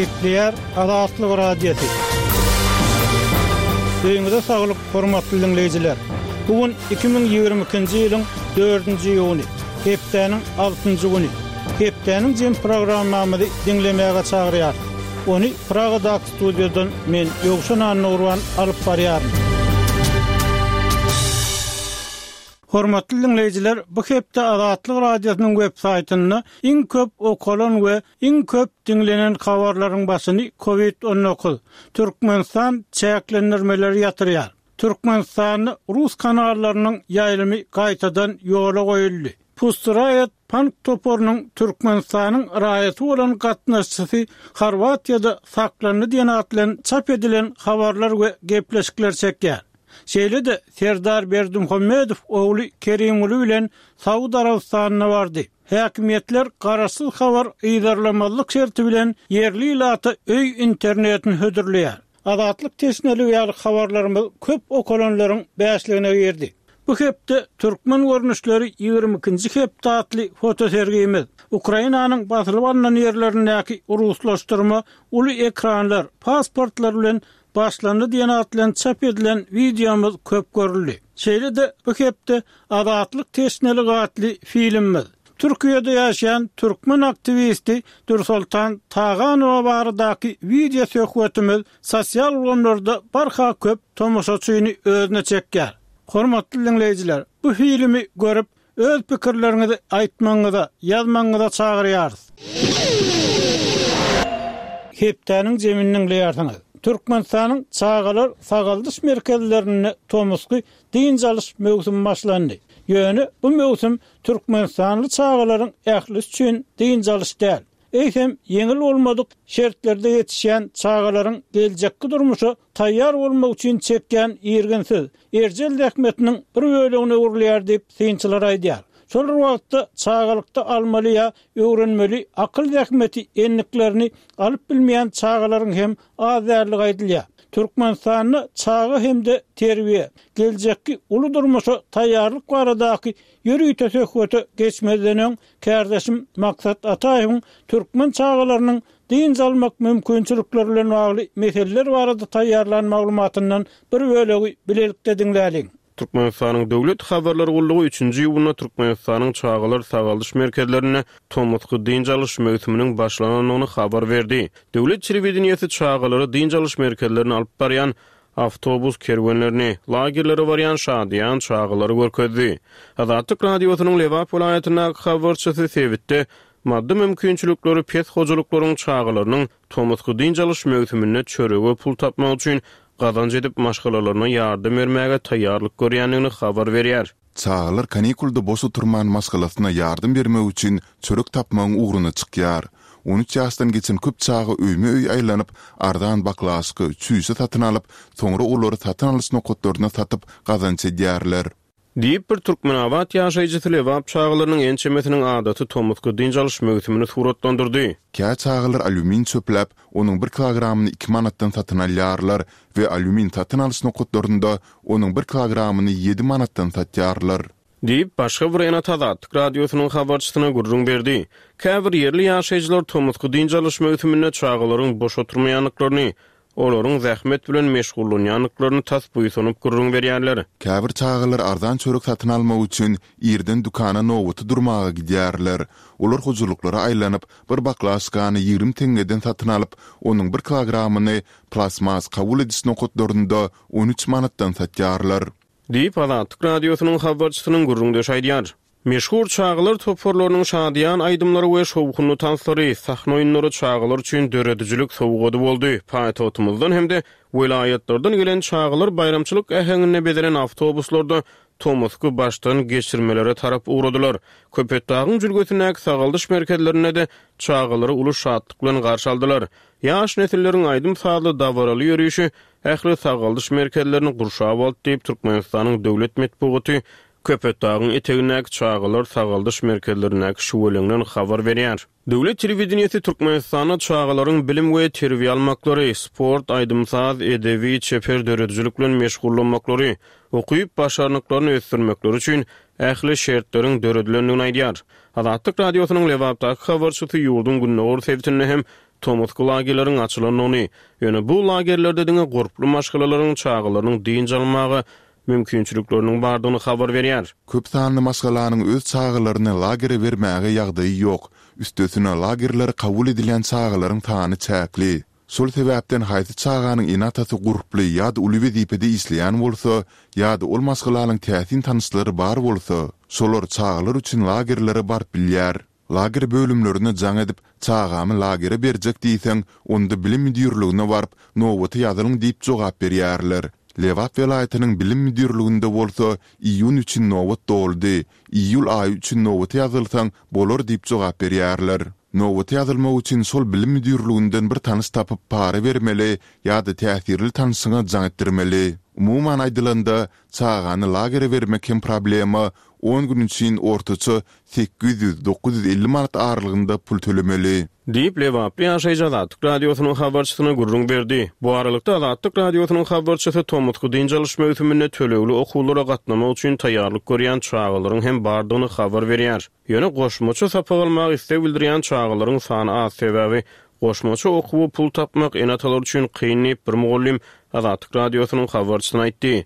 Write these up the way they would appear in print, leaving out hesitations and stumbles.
Gepleýär Azatlyk Radiosy. Öýüňize saglyk, hormatly diňleýjiler! Bu gün 2022-nji ýylyň dördünji iýuny, hepdäniň altynjy güni. Hepdäniň jem programmamyzy diňlemäge çagyrýarys. Ony Pragadaky studiýadan men, Ýowşan Annagurban alyp barýaryn. Hormatly diňleýjiler, bu hepde Azatlyk Radiosynyň web saýtynda iň köp okalan we iň köp diňlenen habarlaryň başyny Covid 19, Türkmenistan çäklendirmeleri ýatyrýar, Türkmenistanda rus kanallarynyň ýaýlymy gaýtadan ýola goýuldy, Pussy Riot pank toparynyň Türkmenistanyň raýaty bolan gatnaşyjysy Horwatiýada saklandy diýen at bilen çap edilen habarlar we gepleşikler çekýär. Şeýle-de Serdar Berdimuhamedow ogly Kerimguly bilen Saud Arabystanyna bardy. Häkimiýetler garaşsyz habar yzarlamazlyk şerti bilen ýerli ilata öý internetini hödürleýär. Azatlyk teşneligi ýaly habarlarymyz köp okalanlaryň bäşligine girdi. Bu hepde Türkmen görnüşleri 22-nji hepde atly fotosergimiz, Ukrainanyň basylyp alnan ýerlerindäki ruslaşdyrma uly ekranlar, pasportlar bilen başlandy diýen at bilen çap edilen wideomyz köp görüldi. Şeýle-de bu hepde Azatlyk teşneligi atly filmimiz, Türkiýede ýaşaýan türkmen aktiwisti Dürsoltan Taganowa baradaky wideo söhbetimiz sosial ulgamlarda barha köp tomaşaçyny özüne çekýär. Hormatly diňleýjiler, bu filmi görüp, Öz pikirleriňizi aýtmagyňyza, ýazmagyňyza çagyrýarys. Hepdäniň jemini diňleýärsiňiz. Türkmenistanyň çagalar sagaldyş merkezlerinde tomusky dynç alyş möwsümi başlandy. Ýöne bu möwsüm türkmenistanly çagalaryň ählisi üçin dynç alyş däl. Eýsem, ýeňil bolmadyk şertlerde ýetişýän çagalaryň geljekki durmuşa taýýar bolmak üçin çekýän irginsiz, erjel zähmetiniň bir bölegine öwrülýär diýip, synçylar aýdýar. Şol bir wagtda, çagalykda almaly ýa öwrenmeli akyl zähmeti endiklerini alyp bilmeýän çagalaryň hem az däldigi aýdylýar. Türkmenistanda çaga hem-de terbiýe, geljekki uly durmuşa taýýarlyk baradaky ýörite söhbete geçmezden öň, Kärdeşim Maksat Ataýewiň türkmen çagalarynyň dynç almak mümkinçilikleri bilen bagly meseleler barada taýýarlan maglumatyndan bir bölegi bilelikde diňläliň. Türkmenistanyň Döwlet habarlar gullugy üçünji iýunda Türkmenistanyň çagalar sagaldyş merkezlerinde tomusky dynç alyş möwsüminiň başlanandygyny habar berdi. Döwlet telewideniýesi çagalary dynç alyş merkezlerine alyp barýan awtobus kerwenlerini, lagerlere barýan şadyýan çagalary görkezdi. Azatlyk Radiosynyň Lebap welaýatyndaky habarçysy sebitde maddy mümkinçilikleri pes hojalyklaryň çagalarynyň tomusky dynç alyş möwsüminde çörege pul tapmak üçin gazanç edip maşgalalaryna ýardam bermäge taýýarlyk görýändigini habar berýär. Çagalar kanikulda boş oturman maşgalasyna ýardam bermek üçin çörek tapmagyň ugruna çykýar. 13 ýaşdan geçen köp çaga öýme-öý aýlanyp, arzan baklaşka, çüýşe satyn alyp, soňra olary satyn alyş nokatlarynda satyp, gazanç edýärler. Diýip, bir türkmenabat ýaşaýjysy lebap çagalarynyň ençemesiniň adaty tomusky dynç alyş möwsümini suratlandyrdy. Kä çagalar alýumin çöpläp, onuň bir kilogramyny iki manatdan satyn alýarlar we alýumin satyn alyş nokatlarynda onuň bir kilogramyny ýedi manatdan satýarlar. Diýip, başga bir ene Azatlyk Radiosynyň habarçysyna gürrüň berdi. Käbir ýerli ýaşaýjylar tomusky dynç alyş möwsüminde çagalaryň boş oturmaýandyklaryny, olaryň zähmet bilen meşgullanýandyklaryny tas buýsanyp gürrüň berýärler. Käbir çagalar arzan çörek satyn almak üçin irden dükana nobata durmaga gidýärler. Olar hojalyklara aýlanyp, bir baklaşkany 20 teňňeden satyn alyp, onuň bir kilogramyny plastmas kabul ediş nokatlarynda 13 manatdan satýarlar. Diýip, Azatlyk Radiosynyň habarçysynyň gürrüňdeşi aýdýar. Meşhur çagalar toparlarynyň şadyýan aýdymlary we şowhunly tanslary, sahna oýunlary çagalar üçin döredijilik sowgady boldy. Paýtagtymyzdan hem-de welaýatlardan gelen çagalar baýramçylyk äheňinde bezelen awtobuslarda tomusky başdan geçirmelere tarap ugradylar. Köpetdagyň jülgesindäki sagaldyş merkezlerinde-de çagalary uly şatlyk bilen garşy aldylar. Ýaş nesilleriň aýdym-sazly dabaraly ýörişi ähli sagaldyş merkezlerini gurşap aldy diýip, Türkmenistanyň döwlet metbugaty Köpetdagyň etegindäki çagalar sagaldyş merkezlerindäki şüweleňden habar berýär. Döwlet telewideniýesi Türkmenistanda çagalaryň bilim we terbiýe almaklary, sport, aýdym-saz, edebi, çeper döredijilik bilen meşgullanmaklary, ukyp-başarnyklaryny ösdürmekleri üçin ähli şertleriň döredilendigini aýdýar. Azatlyk Radiosynyň Lebapdaky habarçysy ýurduň gündogar sebitinde hem. tomusky lagerleriň açylandygyny, ýöne bu lagerlerde diňe gurply maşgalalaryň çagalarynyň dynç almaga mümkinçilikleriniň bardygyny habar berýär. Köp sanly maşgalanyň öz çagalaryny lagere bermäge ýagdaýy ýok, üstesine lagerlere kabul edilýän çagalaryň sany çäkli. Şol sebäpden haýsy çaganyň ene-atasy gurply ýa-da uly wezipede işleýän bolsa, ýa-da ol maşgalanyň täsin tanyşlary bar bolsa, şolar çagalar üçin lagerlere baryp bilýär. Lager bölümlerine jaň edip, çagamy lagere berjek diýseň, onda bilim müdirligine baryp, nobata ýazylyň diýip jogap berýärler. Lebap welaýatynyň bilim müdirliginde bolsa, iýun üçin nobat doldy, iýul aýy üçin nobata ýazylsaň bolar diýip jogap berýärler. Nobata ýazylmak üçin şol bilim müdirliginden bir tanyş tapyp para bermeli ýa-da täsirli tanşyňa jaň etdirmeli. Umuman aýdylanda, çagany lagere bermek hem problema, on gün üçin ortaça 800, 950 manat aralygynda pul tölemeli. Diýip, lebaply ýaşaýjy Azatlyk Radiosynyň habarçysyna gürrüň berdi. Bu aralykda, Azatlyk Radiosynyň habarçysy tomusky dynç alyş möwsüminde tölegli okuwlara gatnamak üçin taýýarlyk görýän çagalaryň hem bardygyny habar berýär. Ýöne goşmaça sapak almaga isleg bildirýän çagalaryň sany az, sebäbi goşmaça okuwa pul tapmak ene-atalar üçin kyn diýip, bir mugallym Azatlyk Radiosynyň habarçysyna aýtdy.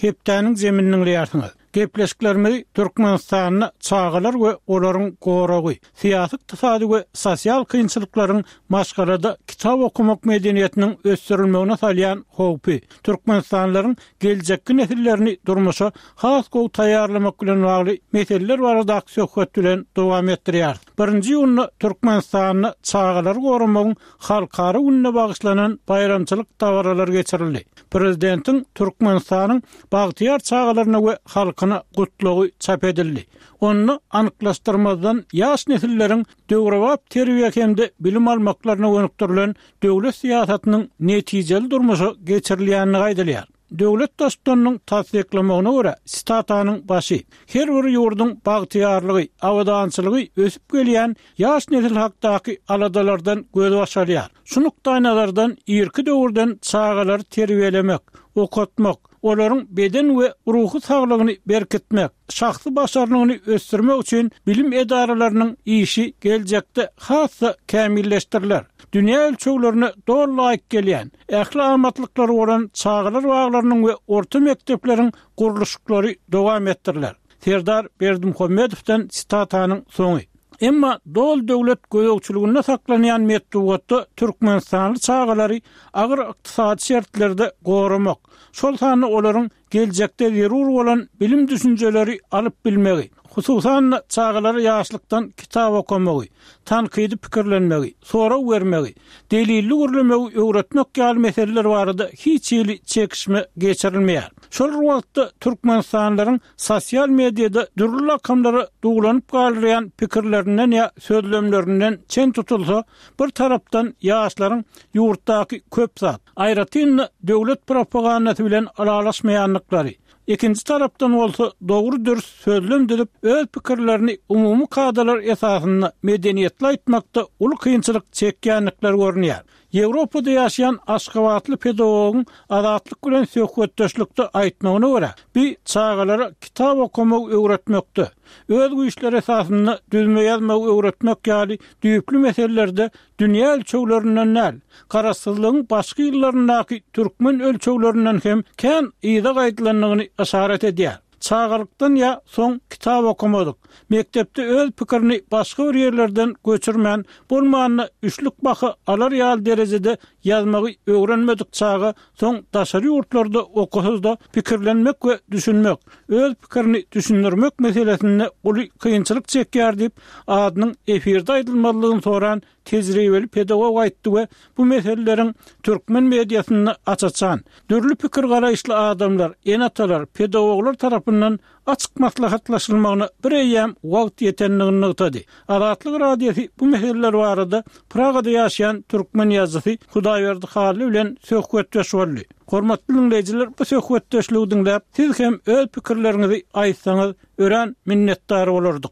Hepdäniň zemini diňleýärsiňiz. Gepleşiklerimizi Türkmenistanda çagalar we olaryň goragy, syýasy-ykdysady we sosial kynçylyklaryň maşgalada kitap okamak medeniýetiniň ösdürilmegine salýan howpy, türkmenistanlylaryň geljekki nesillerini durmuşa has gowy taýýarlamak bilen bagly meseleler baradaky söhbet bilen dowam etdirýäris. Birinji iýunda Türkmenistanda çagalary goramagyň Halkara gününe bagyşlanan baýramçylyk dabaralary geçirildi. Prezidentiň Türkmenistanyň bagtyýar çagalaryna we halkyna Gutlagy çap edildi. Onda anyklaşdyrmazdan ýaş nesilleriň döwrebap terbiýe hem-de bilim almaklaryna gönükdirilen döwlet syýasatynyň netijeli durmuşa geçirilýändigi aýdylýar. Döwlet Baştutanynyň tassyklamagyna görä, sitatanyň başy, Her bir ýurduň bagtyýarlygy, abadançylygy ösüp gelýän ýaş nesil hakdaky aladalardan gözbaş alýar. Şu nukdaýnazardan irki döwürden çagalary terbiýelemek, okatmak, olaryň beden we ruhy saglygyny berkitmek, şahsy başarnygyny ösdürmek üçin bilim edaralarynyň işi geljekde has-da kämilleşdiriler. Dünýä ölçeglerine doly laýyk gelýän, ähli amatlyklary bolan çagalar baglarynyň we orta mekdepleriň gurluşyklary dowam etdiriler. Serdar Berdimuhamedowdan sitatanyň soňy. Emma doly döwlet gözegçiliginde saklanýan metbugatda türkmenistanly çagalary agyr ykdysady şertlerde goramak, şol sanda olaryň geljekde zerur bolan bilim-düşünjeleri alyp bilmegi, hususan-da, çagalara ýaşlykdan kitap okamagy, tankydy pikirlenmegi, sorag bermegi, delilli gürlemegi öwretmek ýaly meseleler barada hiç hili çekişme geçirilmeýär. Şol bir wagtda, türkmenistanlylaryň sosial mediada dürli lakamlara duwlanyp galdyrýan pikirlerinden ýa sözlemlerinden çen tutulsa, bir tarapdan ýaşlaryň ýurtdaky köp zat, aýratyn-da döwlet propagandasy bilen ylalaşmaýandyklary, ikinji tarapdan bolsa dogry-dürs sözlem düzüp, öz pikirlerini umumy kadalar esasynda medeniýetli aýtmakda uly kynçylyk çekýändikleri görünýär. Ýewropada ýaşaýan aşgabatly pedagogyň Azatlyk bilen söhbetdeşlikde aýtmagyna görä, bi çagalara kitap okamagy öwretmekde, öz güýçleri esasynda düzme ýazmagy öwretmek ýaly düýpli meselelerde dünýä ölçeglerinden däl, garaşsyzlygyň başky ýyllaryndaky türkmen ölçeglerinden hem kän yza gaýdylandygyny yşarat edýär. Çagalykdan ýa soň kitap okamadyk, mekdepde öz pikirini başga bir ýerlerden göçürmän, bolmanda üçlük baha alar ýaly derejede ýazmagy öwrenmedik çaga soň daşary ýurtlarda okasa-da pikirlenmek we düşünmek, öz pikirini düşündirmek meselesinde uly kynçylyk çekýär diýip, adynyň efirde aýdylmazlygyny soran tejribeli pedagog aýtdy we bu meseleleriň türkmen mediasynda aç-açan, dürli pikir-garaýyşly adamlar, ene-atalar, pedagoglar tarapyndan açyk maslahatlaşylmagyna bireýýäm wagt ýetendigini nygtady. Azatlyk Radiosy bu meseleler barada Pragada ýaşaýan türkmen ýazyjysy Hudaýberdi Hally bilen söhbetdeş boldy. Hormatly diňleýjiler, bu söhbetdeşligi diňläp, siz hem öz pikirleriňizi aýtsaňyz, örän minnetdar bolardyk.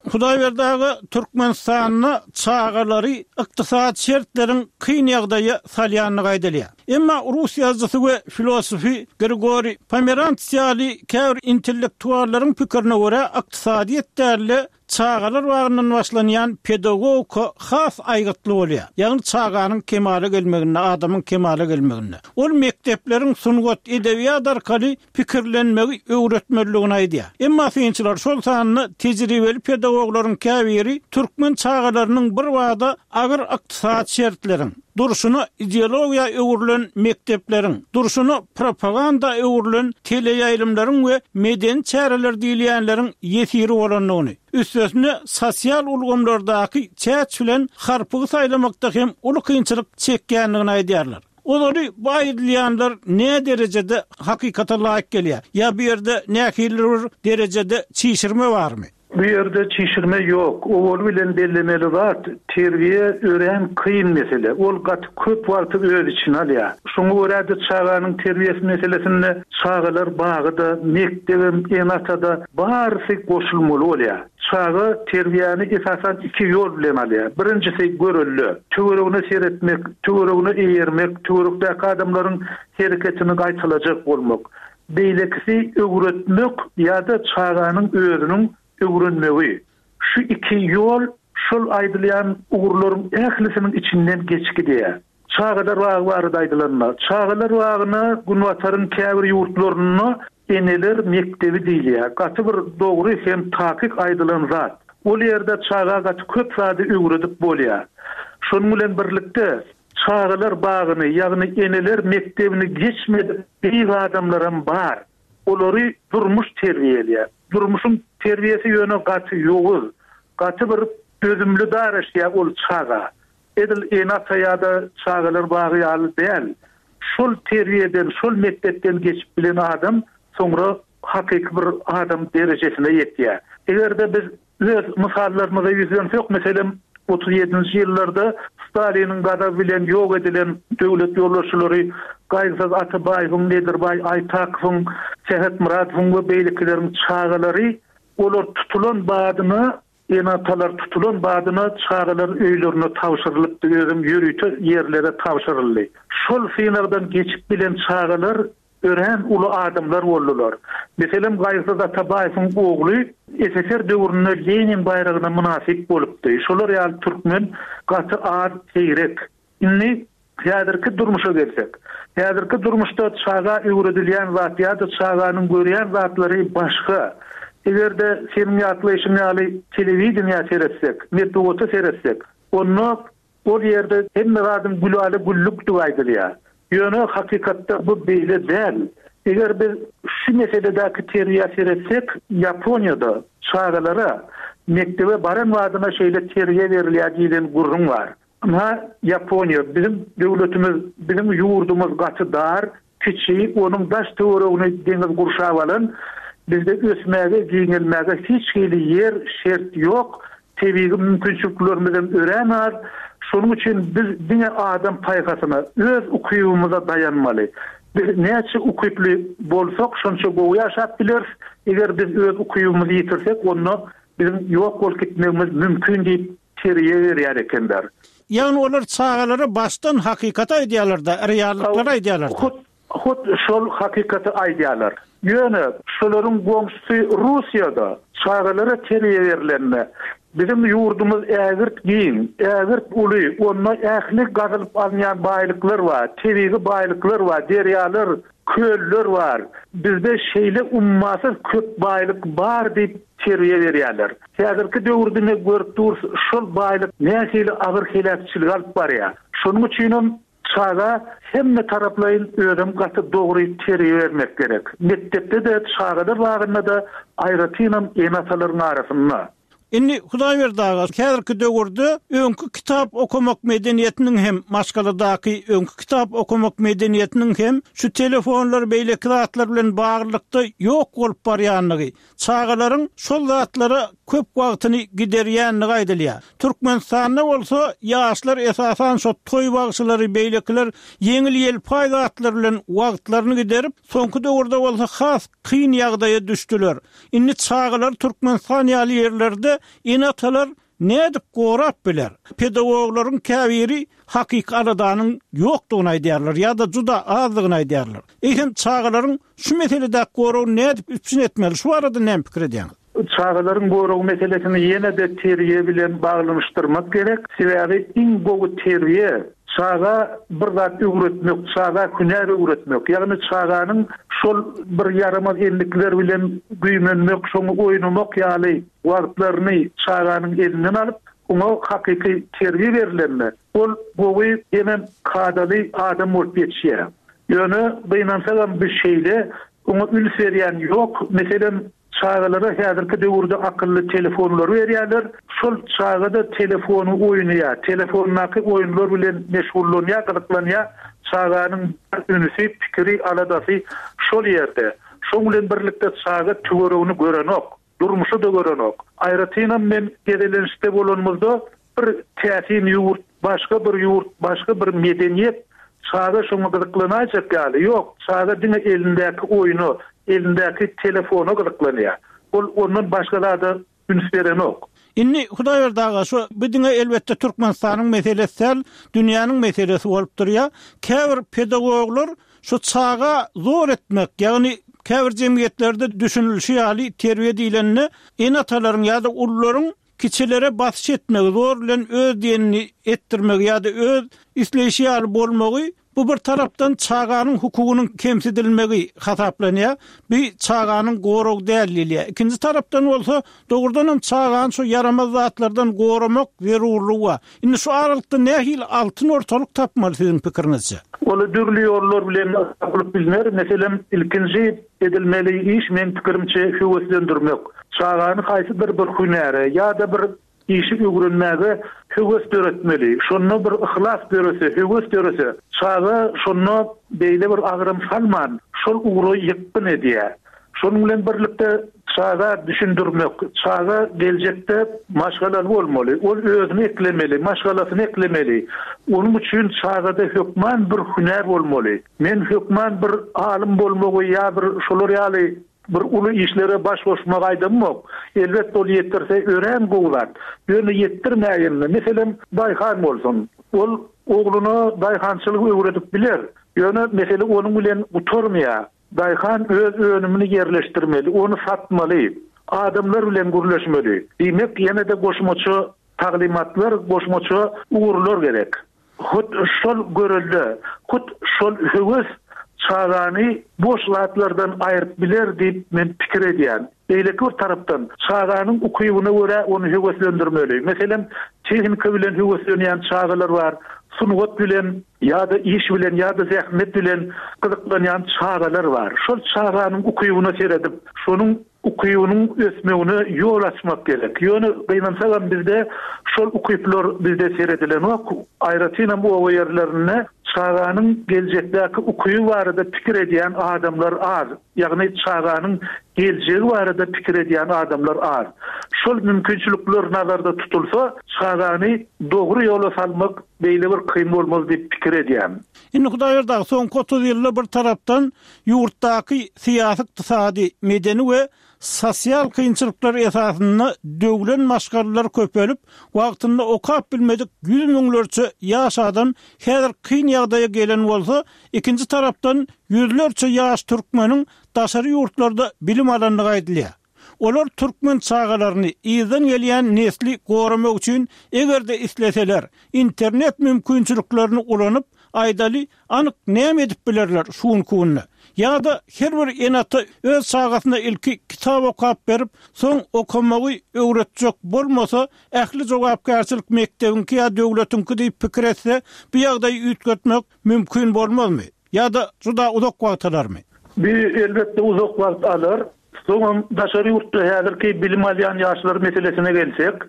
Hudaýberdi aga, Türkmenistanda çagalary ykdysady şertleriň kyn ýagdaýa salýandygy aýdylýar. Emma rus ýazyjysy we filosofy Grigoriý Pomerants ýaly käbir intellektuallaryň pikirine görä, ykdysadyýet däl-de, çagalar bagyndan başlanýan pedagogika has aýgytly bolýar. Ýagny çaganyň kemala gelmeginde, adamyň kemala gelmeginde. Ol mekdepleriň sungat, edebiýat arkaly pikirlenmegi öwretmelidigini aýdýar. Emma synçylar, şol sanda tejribeli pedagoglaryň käbiri türkmen çagalarynyň birbada agyr ykdysady şertleriň, durşuna ideologiýa öwrülen mekdepleriň, durşuna propaganda öwrülen teleýaýlymlaryň we medeni çäreler diýilýänleriň ýesiri bolandygyny, üstesine sosial ulgamlardaky çäç bilen harpygy saýlamakda hem uly kynçylyk çekýändigini aýdýarlar. Ozaly bu aýdylýanlar näderejede hakykata laýyk gelýär ýa bu ýerde nähilidir bir derejede çişirme barmy? Bu ýerde çişirme ýok. Owaly bilen bellemeli zat, terbiýe örän kyn mesele. Ol gaty köp wagty öz içine alýar. Şoňa görä-de çaganyň terbiýesi meselesinde çagalar bagy-da, mekdebem, ene-ata-da barysy goşulmaly bolýar. Çaga terbiýäni esasan iki ýol bilen alýar. Birinjisi görelde. Töweregine seretmek, töweregine eýermek, töwerekdäki adamlaryň hereketini gaýtalajak bolmak. Beýlekisi öwretmek ýa-da çaganyň özüniň öwrenmegi. Şu iki ýol şol aýdylýan ugurlaryň ählisiniň içinden geçip gidýär. Çagalar bagy barada aýdylanda, çagalar bagyna Günbataryň käbir ýurtlarynda eneler mekdebi diýilýär. Gaty bir dogry hem takyk aýdylan zat. Ol ýerde çaga gaty köp zady öwredip bolýar. Şonuň bilen birlikde, çagalar bagyny, ýagny eneler mekdebini geçmedik beýik adamlaram bar. Olary durmuş terbiýeleýär. Durmuşyň terbiýesi ýöne gaty ýowuz, gaty bir dözümli daraşýar ol çaga. Edil ene-ata ýa-da çagalar bagy ýaly däl. Şol terbiýeden, şol mekdepden geçip bilen adam soňra hakyky bir adam derejesine ýetýär. Eger-de biz öz mysallarymyza ýüzlensek, meselem, 37-nji ýyllarda Staliniň gazaby bilen ýok edilen döwlet ýolbaşçylary Gaýgysyz Atabaýewiň, Nedirbaý Aýtakowyň, Sähetmyradowyň we beýlekileriň çagalary, olar tutulan badyna Ene-atalar tutulan badyna çagalar öýlerine tabşyrylypdy, özem ýörite ýerlere tabşyryldy. Şol synagdan geçip bilen çagalar örän uly adamlar boldular. Meselem, Gaýgysyz Atabaýewiň ogly SSR döwründe Lenin baýragyna mynasyp bolupdy. Şolar ýaly türkmen gaty az, seýrek. Indi häzirki durmuşa gelsek. Häzirki durmuşda çaga öwredilýän zat ýa-da çaganyň görýän zatlary başga. Eger-de seniň ýatlaýşyň ýaly telewideniýä seretsek, metbugata seretsek, onda ol ýerde hemme zadyň gülala-güllükdigi aýdylýar. Ýöne hakykatda bu beýle däl. Eger biz şu meseledäki terbiýä seretsek, Ýaponiýada çagalara mekdebe baran badyna şeýle terbiýe berilýär diýlen gürrüň bar. Ynha, Ýaponiýa, biziň döwletimiz, biziň ýurdumyz gaty dar, kiçi, onuň daş-töweregini deňiz gurşap alan, bizde ösmäge, giňelmäge hiç hili ýer, şert ýok, tebigy mümkinçiliklerimizem örän az, şonuň üçin biz diňe adam paýhasyna, öz ukybymyza daýanmaly. Biz näçe ukyply bolsak, şonça gowy ýaşap bileris, eger biz öz ukybymyzy ýitirsek, onda biziň ýok bolup gitmegimiz mümkin diýip, Terbiýe berýär ekenler. Ýagny olar çagalara başdan hakykaty aýdýarlar-da, reallyklary aýdýarlar-da. Hut, hut şol hakykaty aýdýarlar. Ýöne şolaryň goňşusy Russiýada çagalara terbiýe berlende, biziň ýurdumyz ägirt giň, ägirt uly, onda ähli gazylyp alynýan baýlyklar bar, tebigy baýlyklar bar, derýalar, Köller bar. Bizde şeýle ummasyz köp baýlyk bar diýip terbiýe berýärler. Häzirki döwürde ine görüp durus şol baýlyk nähili agyr heläkçilige alyp barýar. Şonuň üçinem çaga hemme taraplaýyn özem gaty dogry terbiýe bermek gerek. Mekdepde-de, çagalar bagynda-da, aýratynam ene-atalaryň arasynda. Indi Hudaýberdi aga, häzirki döwürde öňki kitap okamak medeniýetiniň hem, maşgaladaky öňki kitap okamak medeniýetiniň hem şu telefonlar, beýleki zatlar bilen baglylykda ýok bolup barýandygy, çagalaryň şol zatlara köp wagtyny giderýändigi aýdylýar. Türkmenistanda bolsa ýaşlar esasan şo toý bagşylary, beýlekiler ýeňil-ýelpaý zatlar bilen wagtlaryny giderip, soňky döwürde bolsa has kyn ýagdaýa düşdüler. Indi çagalar Türkmenistan ýaly ýerlerde ene-atalar nädip gorap biler? Pedagoglaryň käbiri hakyky aladanyň ýokdugyny aýdýarlar ýa-da juda azdygyny aýdýarlar. Eýsem, çagalaryň şu meseledäki goragyny nädip üpjün etmeli? Şu barada näme pikir edýäňiz? Çagalaryň goragy meselesini ýene-de terbiýe bilen baglanyşdyrmak gerek. Sebäbi iň gowy terbiýe, çaga bir zat öwretmek, çaga hünär öwretmek. Ýagny çaganyň şol bir ýaramaz endikler bilen güýmenmek, şoňa oýnamak ýaly wagtlaryny çaganyň elinden alyp, oňa hakyky terbiýe berlende, ol gowy hemem kadaly adam bolup ýetişýär. Ýöne gynansagam bu şeýle, oňa üns berýän ýok. Meselem, çagalara häzirki döwürde akylly telefonlary berýärler. Şol çaga-da telefony oýnaýar, telefondaky oýunlar bilen meşgullanýar, gyzyklanýar. Çaganyň bar ünsi, pikiri, aladasy şol ýerde. Şoň bilen birlikde çaga töweregini görenok. Durmuşy-da görenok. Aýratynam men gezelençde bolanymyzda bir täsin ýurt, başga bir ýurt, başga bir medeniýet, çaga şoňa gyzyklanaýjak ýaly, ýok, çaga diňe elindäki oýna, elindäki telefona gyzyklanýar. Ol ondan başga zada üns berenok. Indi Hudaýberdi aga şu bu diňe elbetde Türkmenistanyň meselesi däl, dünýäniň meselesi bolup durýar. Käbir pedagoglar şu çaga zor etmek, ýagny käbir jemgyýetlerde düşünilişi ýaly terbiýe diýlende ene-atalaryň ýa-da ulularyň kiçilere basyş etmegi, zor bilen öz diýenini etdirmegi ýa-da öz isleýşi ýaly bolmagy Bu bir tarapdan çaganyň hukugynyň kemsidilmegi hasaplanýar. Bu çaganyň goragy däl diýilýär. Ikinji tarapdan bolsa, dogrudan hem çagany şu ýaramaz zatlardan goramak zerurlygy bar. Indi şu aralykda nähili altyn ortalyk tapmaly siziň pikiriňizçe? Ol dürli ýollar bilen tapylyp bilner. Meselem, ilkinji edilmeli iş, meň pikirimçe, höweslendirmek. Çagany haýsydyr bir hünäre ýa-da bir Işi öwrenmäge höwes döretmeli. Şonda bir yhlas dörese, höwes dörese, çaga şonda beýle bir agram salman, şol ugra ýykgyn edýär. Şonuň bilen birlikde çaga düşündirmek, çaga geljekde maşgalaly bolmaly, ol özüni eklemeli, maşgalasyny eklemeli. Onuň üçin çagada hökman bir hünär bolmaly. Men hökman bir alym bolmagy ýa bir şolar ýaly Bir uly işlere baş goşmagy aýdamok. Elbetde ol ýetdirse örän gowy zat. Ýöne ýetdirmäýende, meselem, daýhan bolsun. Ol ogluna daýhançylygy öwredip biler. Ýöne mesele onuň bilen gutarmaýar. Daýhan öz önümini ýerleşdirmeli, ony satmaly, adamlar bilen gürleşmeli. Diýmek, ýene-de goşmaça taglymatlar, goşmaça ugurlar gerek. Hut şol görelde, hut şol höwes çagany boş zatlardan aýryp biler diýip men pikir edýän. Beýleki bir tarapdan, çaganyň ukybyna görä ony höweslendirmeli. Meselem, tehnika bilen höweslenýän çagalar bar, sungat bilen ýa-da iş bilen ýa-da zähmet bilen gyzyklanýan çagalar bar. Şol çaganyň ukybyna seredip, şonuň ukybynyň ösmegine ýol açmak gerek. Ýöne gynansagam bizde şol ukyplar bizde seredilenok. Aýratynam oba ýerlerinde çaganyň geljekdäki ukyby barada pikir edýän adamlar az. Ýagny çaganyň geljegi barada pikir edýän adamlar az. Şol mümkinçilikler nazarda tutulsa, çagany dogry ýola salmak beýle bir kyn bolmaz diýip pikir edýän. Indi Hudaýberdi aga, soňky 30 ýylda bir tarapdan ýurtdaky syýasy-ykdysady, medeni we sosial kynçylyklar esasynda döwlen maşgalalar köpelip, wagtynda okap bilmedik ýüz müňlerçe ýaş adam häzir kyn ýagdaýa gelen bolsa, ikinji tarapdan ýüzlerçe ýaş türkmeniň daşary ýurtlarda bilim alandygy aýdylýar. Olar türkmen çagalaryny, yzdan gelýän nesli goramak üçin, eger-de isleseler, internet mümkinçiliklerini ulanyp, aýdaly, anyk näme edip bilerler şu günki günde? Ýa-da her bir ene-ata öz çagasyna ilki kitap okap berip, soň okamagy öwretjek bolmasa, ähli jogapkärçilik mekdebiňki ýa döwletiňki diýip pikir etse, bu ýagdaýy üýtgetmek mümkin bolmazmy? Ýa-da juda uzak wagt alarmy? Bu, elbetde, uzak wagt alar. Soňam daşary ýurtda häzirki bilim alýan ýaşlar meselesine gelsek,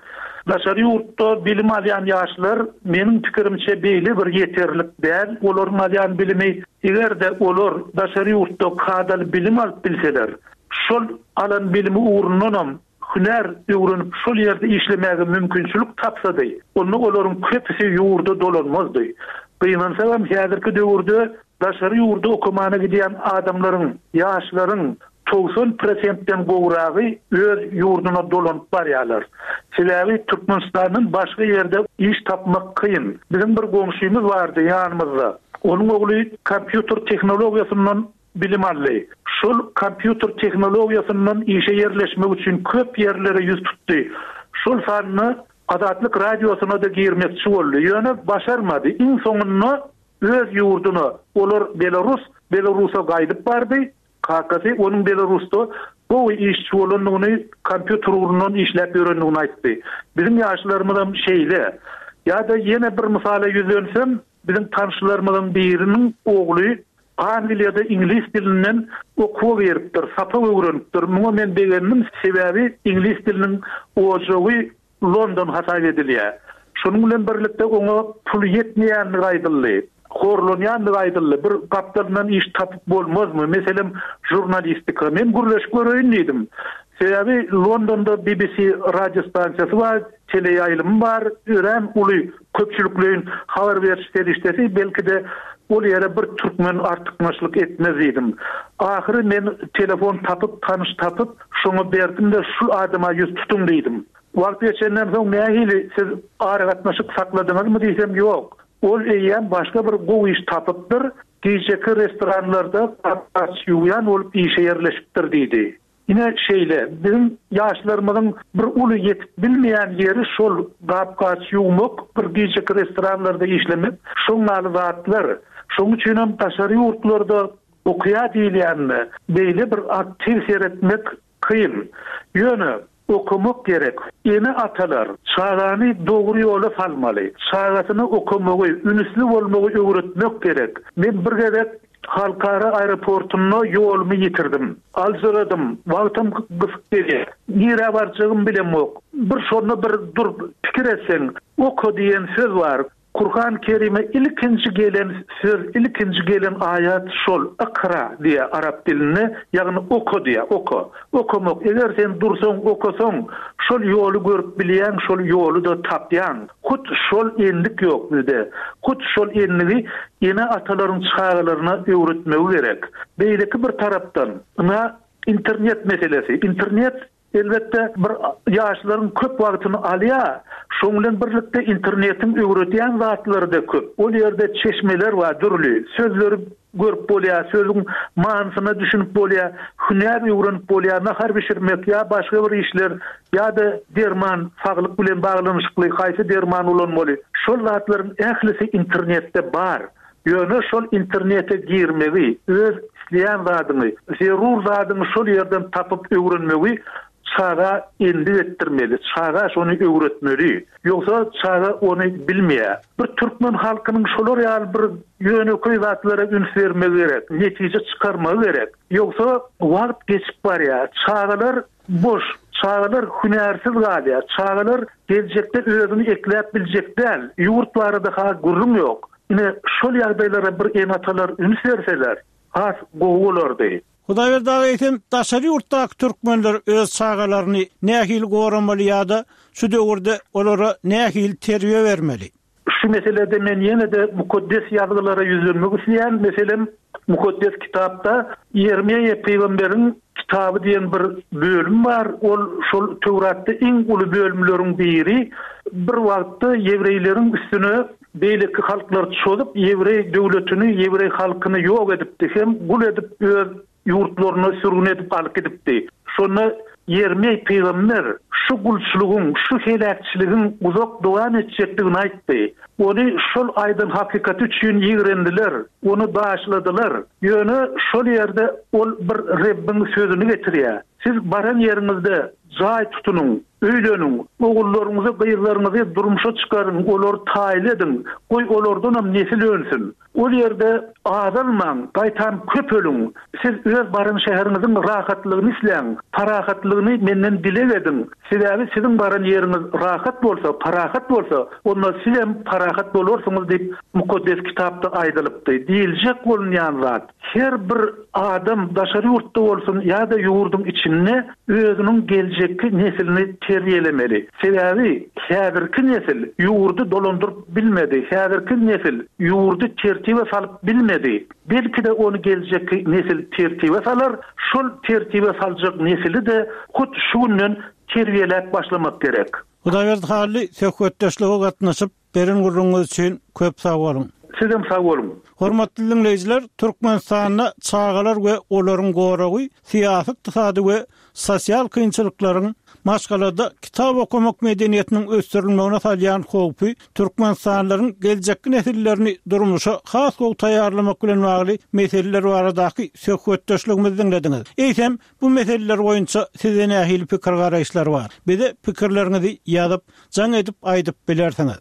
daşary ýurtda bilim alýan ýaşlar meniň pikirimçe beýle bir ýeterlik däl olaryň alýan bilimi. Eger-de olar daşary ýurtda kadaly bilim alyp bilseler, şol alan bilimi ugrundanam hünär öwrenip şol ýerde işlemäge mümkinçilik tapsady, onda olaryň köpüsi ýurda dolanmazdy. Gynansagam häzirki döwürde daşary ýurda okamana gidýän adamlaryň, ýaşlaryň. 90 prosentden gowragy öz ýurduna dolanyp barýarlar. Sebäbi Türkmenistandan başga ýerde iş tapmak kyn. Biziň bir goňşymyz bardy ýanymyzda. Onuň ogly kompýuter tehnologiýasyndan bilim aldy. Şol kompýuter tehnologiýasyndan işe ýerleşmek üçin köp ýerlere ýüz tutdy. Şol sanda Azatlyk Radiosyna-da girmekçi boldy. Ýöne başarmady. Iň soňunda öz ýurduna, olar belarus, Belarusa gaýdyp bardy. Kakasy onuň Belarusda gowy işçi bolandygyny, kompýuter ugrundan işläp ýörendigini aýtdy. Biziň ýaşlarymyzam şeýle. Ýa-da ýene bir mysala ýüzlensem, biziň tanşlarymyzyň biriniň ogly Angliýada iňlis dilinden okuwa giripdir, sapak öwrenipdir. Muňa men begendim, sebäbi iňlis diliniň ojagy London hasap edilýär. Şonuň bilen birlikde oňa pul ýetmeýändigi aýdyldy. Horlanýandygy aýdyldy. Bir gapdalyndan iş tapyp bolmazmy? Meselem, žurnalistika. Men gürleşip göreýin diýdim. Sebäbi Londonda BBC radiostansiýasy bar, teleýaýlymy bar, örän uly köpçülikleýin habar beriş serişdesi, belki-de, ol ýere bir türkmen artykmaçlyk etmez diýdim. Ahyry men telefon tapyp, tanyş tapyp, şoňa berdim-de, şul adama ýüz tutuň diýdim. Wagt geçenden soň nähili, siz aragatnaşyk sakladyňyzmy diýsem, ýok. Ol eýýäm başga bir gowy iş tapypdyr, gijeki restoranlarda gap-gaç ýuwýan bolup işe ýerleşipdir diýdi. Ine şeýle, biziň ýaşlarymyzyň bir uly ýetip bilmeýän ýeri şol gap-gaç ýuwmak, bir gijeki restoranlarda işlemek, şoň ýaly zatlar. Şoň üçinem daşary ýurtlarda okaýar diýilýänine beýle bir aktiw seretmek kyn. Ýöne okamak gerek. Ene-atalar çagany dogry ýola salmaly. Çagasyna okamagy, ünüsli bolmagy öwretmek gerek. Men bir gezek Halkara aeroportunda ýolumy ýitirdim. Aljyradym, wagtam gysyk gelýär. Nirä barjagymy bilemok. Bir şonda bir durup pikir etseň, oka diýen söz bar. Kurhan Kerime ilkinji gelen söz, ilkinji gelen aýat şol, Ykra diýýär arap dilinde, ýagny oka diýýär, oka. Okamak, eger sen dursaň, okasaň, şol ýoly görüp bilýäň, şol ýoly-da tapýaň. Hut şol endik ýok bizde. Hut şol endigi ene-atalaryň çagalaryna öwretmegi gerek. Beýleki bir tarapdan, ynha, internet meselesi. Internet, elbetde, bir ýaşlaryň köp wagtyny alýar. Şoň bilen birlikde internetiň öwredýän zatlary-da köp. Ol ýerde çeşmeler bar dürli. Sözleri Görüp bolýar, sözüň manysyna düşünip bolýar, hünär öwrenip bolýar, nahar bişirmek ýa başga bir işler ýa-da derman, saglyk bilen baglanyşykly haýsy derman ulanmaly, şol zatlaryň ählisi internetde bar. Ýöne şol internete girmegi, öz isleýän zadyňy, zerur zadyňy şol ýerden tapyp öwrenmegi çaga endik etdirmeli, çaga şony öwretmeli. Ýogsa çaga ony bilmeýär. Bir türkmen halkynyň şolar ýaly bir ýönekeý zatlara üns bermegi gerek, netije çykarmagy gerek. Ýogsa wagt geçip barýar, çagalar boş, çagalar hünärsiz galýar, çagalar geljekde özüni ekläp biljek däl, ýurt barada-ha gürrüň ýok. Ine, şol ýagdaýlara bir ene-atalar üns berseler, has gowy bolardy. Hudaýberdi aga eýsem daşary ýurtdaky türkmenler öz çagalaryny nähili goramaly ýa-da şu döwürde olara nähili terbiýe bermeli? Şu meselede men ýene-de Mukaddes Ýazgylara ýüzlenmek isleýän. Meselem, Mukaddes Kitapda Ýermeýa pygamberiň kitaby diýen bir bölüm bar. Ol şol Töwratda iň uly bölümleriň biri. Bir wagtda ýewreýleriň üstüne Beýleki halklar çozup, ýewreý döwletini, ýewreý halkyny ýok edipdi hem gul edip öz ýurtlaryna sürgün edip alyp gidipdi. Şonda Ýermeý pygamber şu gulçulygyň, şu heläkçiligiň uzak dowam etjekdigini aýtdy. Ony şol aýdan hakykaty üçin ýigrendiler, ony daşladylar. Ýöne şol ýerde ol bir Rebbiň sözüni getirýär, Siz baran ýeriňizde Jaý tutunyň, öýleniň, ogullaryňyzy, gyzlaryňyzy durmuşa çykaryň, olary taýly ediň, goý, olardanam nesil önsün. Ol ýerde azalmaň, gaýtam köpeliň. Siz öz baran şäheriňiziň rahatlygyny isläň, parahatlygyny menden dileg ediň. Sebäbi siziň baran ýeriňiz rahat bolsa, parahat bolsa, onda sizem parahat bolarsyňyz diýip, Mukaddes Kitapda aýdylypdy. Diýiljek bolunýan zat, Her bir adam daşary ýurtda bolsun ýa-da ýurduň içinde özüniň geljekki neslini. terbiýelemeli. Sebäbi häzirki nesil ýurdy dolandyryp bilmedi, häzirki nesil ýurdy tertibe salyp bilmedi. Belki-de ony geljekki nesil tertibe salar, şol tertibe saljak nesili-de hut şu günden terbiýeläp başlamak gerek. Hudaýberdi Hally söhbetdeşlige gatnaşyp, beren gürrüňiňiz üçin köp sag boluň. Sizem sag boluň. Hormatly diňleýjiler, Türkmenistanda çagalar we olaryň goragy syýasy-ykdysady we sosial kynçylyklaryň maşgalada kitap okamak medeniýetiniň ösdürilmegine salýan howpy türkmenistanlylaryň geljekki nesillerini durmuşa has gowy taýýarlamak bilen bagly meseleler baradaky söhbetdeşligimizi diňlediňiz. Eýsem, bu meseleler boýunça sizde nähili pikir-garaýyşlar bar? Bize pikirleriňizi ýazyp, jaň edip aýdyp bilersiňiz.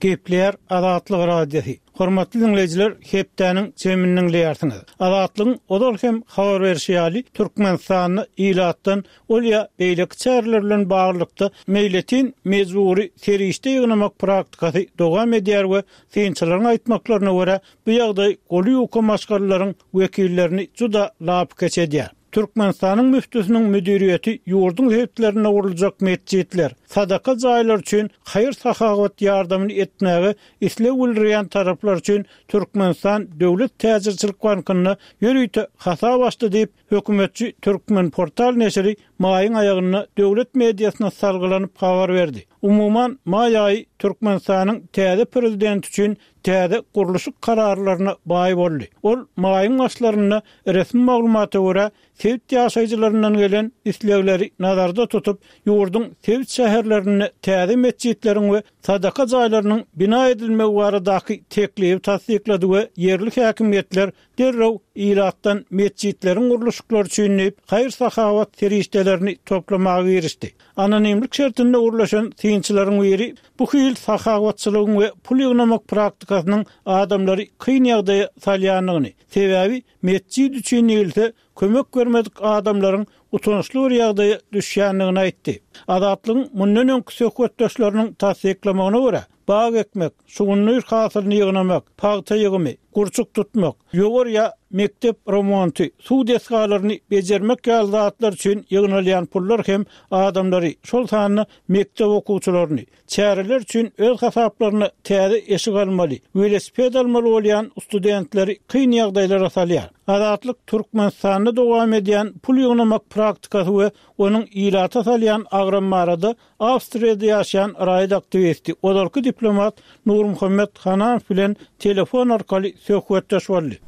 Gepleýär Azatlyk Radiosy. Hormatly diňleýjiler, hepdäniň jemini diňleýärsiňiz. Azatlygyň ozal hem habar berşi ýaly, Türkmenistanda ilatdan ol ýa beýleki çäreler bilen baglylykda meýletin mejbury serişde ýygnamak praktikasy dowam edýär we synçylaryň aýtmaklaryna görä, bu ýagdaý goly ýuka maşgalalaryň wekillerini juda lapykeç edýär. Türkmenistanyň müftüsiniň müdiriýeti ýurduň sebitlerinde guruljak metjitler, sadaka jaýlary üçin haýyr-sahawat ýardamyny etmäge isleg bildirýän taraplar üçin Türkmenistan döwlet täjirçilik bankynda ýörite hasap açdy diýip, hökümetçi Türkmenportal neşiri maýyň aýagynda döwlet mediasyna salgylanyp habar berdi. Umuman, maý aýy Türkmenistanyň täze prezidenti üçin täze gurluşyk kararlaryna baý boldy. Ol maýyň başlarynda resmi maglumata görä, sebit ýaşaýjylaryndan gelen islegleri nazarda tutup, ýurduň sebit şäherlerinde täze metjitleriň we sadaka jaýlarynyň bina edilmegi baradaky teklibi tassyklady we ýerli häkimiýetler derrew ilatdan metjitleriň gurluşyklary üçin diýip, haýyr-sahawat serişdelerini toplamaga girişdi. Anonimlik şertinde gürleşen synçylaryň biri Bu hil sahawatçylygyň we pul ýygnamak praktikasynyň adamlary kyn ýagdaýa salýandygyny, sebäbi metjit üçin diýilse, kömek bermedik adamlaryň utançly bir ýagdaýa düşýändigini aýtdy. Azatlygyň mundan öňki söhbetdeşleriniň tassyklamagyna görä, bag ekmek, şugundyr hasylyny ýygnamak, pagta ýygymy, gurçuk tutmak, ýowar ýa mekdep remonty, suw desgalaryny bejermek ýaly zatlar üçin ýygnalýan pullar hem adamlary, şol sanda mekdep okuwçylaryny, çäreler üçin öz hasaplaryna täze eşik almaly, welosiped almaly bolýan studentleri kyn ýagdaýlara salýar. Azatlyk Türkmenistanda dowam edýän pul ýygnamak praktikasy we onuň ilata salýan agramy barada Awstriýada ýaşaýan raýat aktiwisti, ozalky diplomat Nurmuhammet Hananow bilen telefon arkaly söhbetdeş boldy.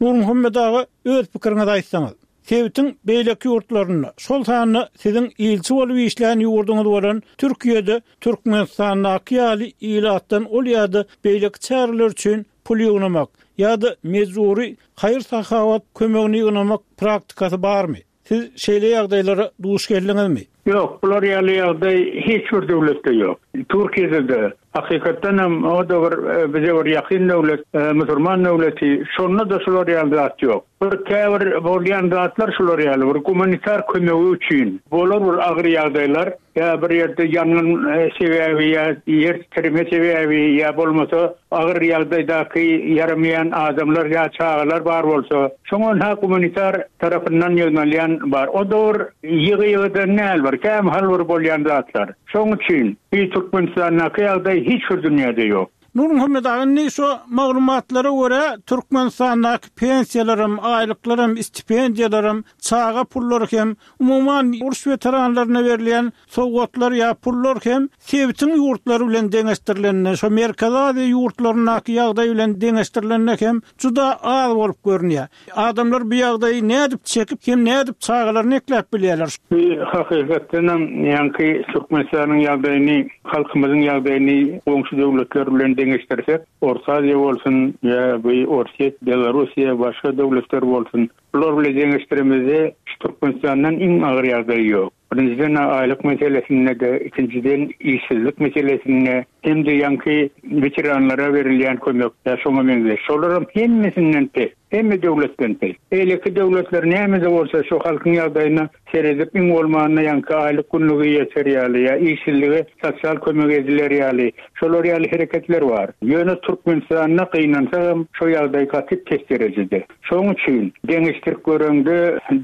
Nurmuhammet aga, öz pikiriňizi aýtsaňyz. Sebitiň beýleki ýurtlarynda, şol sanda siziň ilçi bolup işlän ýurduňyz bolan Türkiýede Türkmenistandaky ýaly ilatdan ol ýa-da beýleki çäreler üçin pul ýygnamak ýa-da mejbury haýyr-sahawat kömegini ýygnamak praktikasy barmy? Siz şeýle ýagdaýlara duş geldiňizmi? Ýok, bular ýaly ýagdaý hiç bir döwletde ýok. Türkiýede-de, hakykatdan hem o-da bir bize bir ýakyn döwlet, musurman döwleti, şonda-da şular ýaly zat ýok. Bir käbir bolýan zatlar şular ýaly, bir gumanitar kömegi üçin bolar bir agyr ýagdaýlar, ýa bir ýerde ýangyn sebäbi ýa ýer titreme sebäbi ýa bolmasa agyr ýagdaýdaky ýaramaýan adamlar ýa çagalar bar bolsa, şoňa ynha gumanitar tarapyndan ýygnalýan bar. O dowür ýygy-ýygydan däl bir, kämahal bir bolýan zatlar. Şoň üçin bi Türkmenistandaky ýagdaý hiç bir dünýäde ýok. Nurmuhammet aga, indi şu maglumatlara görä, Türkmenistandaky pensiýalaram, aýlyklaram, stipendiýalaram, çaga pullary hem, umuman, uruş weteranlaryna berilýän sowgatlar ýa pullar hem sebitiň ýurtlary bilen deňeşdirilende, şo Merkezi Aziýa ýurtlaryndaky ýagdaý bilen deňeşdirilende hem juda az bolup görünýär. Adamlar bu ýagdaýy nädip çekip hem nädip çagalaryny ekläp bilýärler? Bu hakykatdanam ýaňky Türkmenistanyň ýagdaýyny, halkymyzyň ýagdaýyny goňşy döwletler bilen deňeşdirsek, Orta Aziýa bolsun ýa bu Orsýet, Belarussiýa, başga döwletler bolsun, bular bilen deňeşdiremizde şu Türkmenistandan iň agyr ýagdaý ýok. Birinjiden aýlyk meselesinde-de, ikinjiden işsizlik meselesinde hem-de ýaňky weteranlara berilýän kömek ýa şoňa meňzeş. Şolaram hemmesinden pes. Hemme döwletden pes. Beýleki döwletler näme-de bolsa şu halkyň ýagdaýyna seredip iň bolmanda ýaňky aýlyk günlügi ýeter ýaly ýa işsizlige sosial kömek ediler ýaly şolar ýaly hereketler bar. Ýöne Türkmenistanda gynansagam şo ýagdaý gaty pes derejede. Şoň üçin deňeşdirip göreňde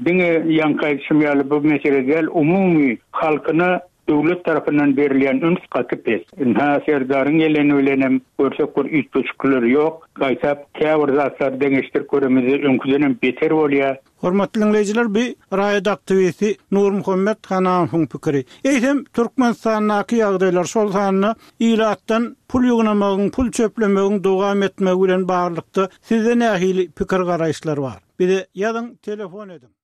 diňe ýaňky aýdyşym ýaly bu mesele däl umumy halkyna Döwlet tarapyndan berilýän üns gaty pes. Ynha, Serdaryň geleni bilenem görsek bir üýtgeşikler ýok. Gaýtap, käbir zatlary deňeşdirip göremizde öňküdenem beter bolýar. Hormatly diňleýjiler bu raýat aktiwisti Nurmuhammet Hanamowyň pikiri. Eýsem Türkmenistandaky ýagdaýlar şol sanda ilatdan pul ýygnamagyň, pul çöplemegiň dowam etmegi bilen baglylykda sizde nähili pikir-garaýyşlar bar? Bize ýazyň, telefon ediň.